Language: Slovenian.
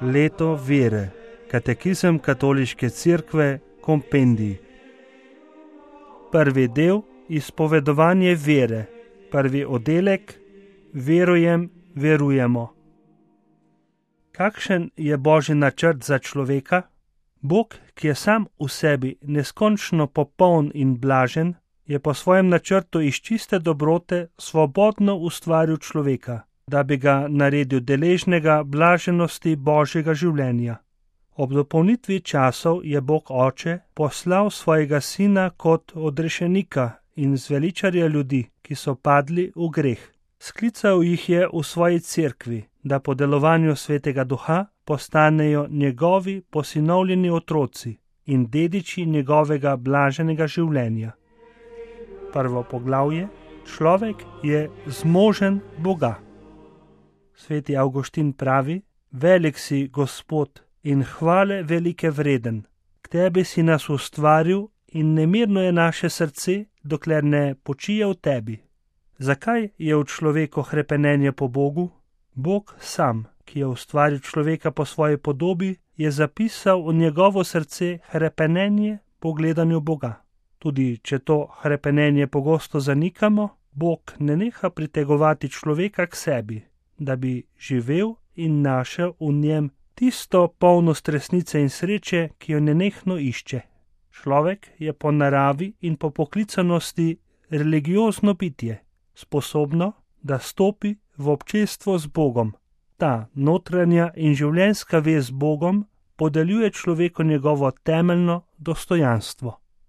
Leto vere. Katekizem Katoliške cerkve, kompendij. Prvi del, izpovedovanje vere. Prvi oddelek, verujem, verujemo. Kakšen je Božji načrt za človeka? Bog, ki je sam v sebi neskončno popoln in blažen, je po svojem načrtu iz čiste dobrote svobodno ustvaril človeka, da bi ga naredil deležnega blaženosti Božjega življenja. Ob dopolnitvi časov je Bog Oče poslal svojega sina kot odrešenika in zveličarja ljudi, ki so padli v greh. Sklical jih je v svoji cerkvi, da po delovanju Svetega Duha postanejo njegovi posinovljeni otroci in dediči njegovega blaženega življenja. Prvo poglavje: človek je zmožen Boga. Sveti Avguštin pravi: velik si, Gospod, in hvale velike vreden. K tebi si nas ustvaril in nemirno je naše srce, dokler ne počije v tebi. Zakaj je v človeku hrepenenje po Bogu? Bog sam, ki je ustvaril človeka po svoji podobi, je zapisal v njegovo srce hrepenenje po gledanju Boga. Tudi če to hrepenenje pogosto zanikamo, Bog ne neha pritegovati človeka k sebi, da bi živel in našel v njem tisto polnost resnice in sreče, ki jo nenehno išče. Človek je po naravi in po poklicanosti religiozno bitje, sposobno, da stopi v občestvo z Bogom. Ta notranja in življenjska vez z Bogom podeljuje človeku njegovo temeljno dostojanstvo.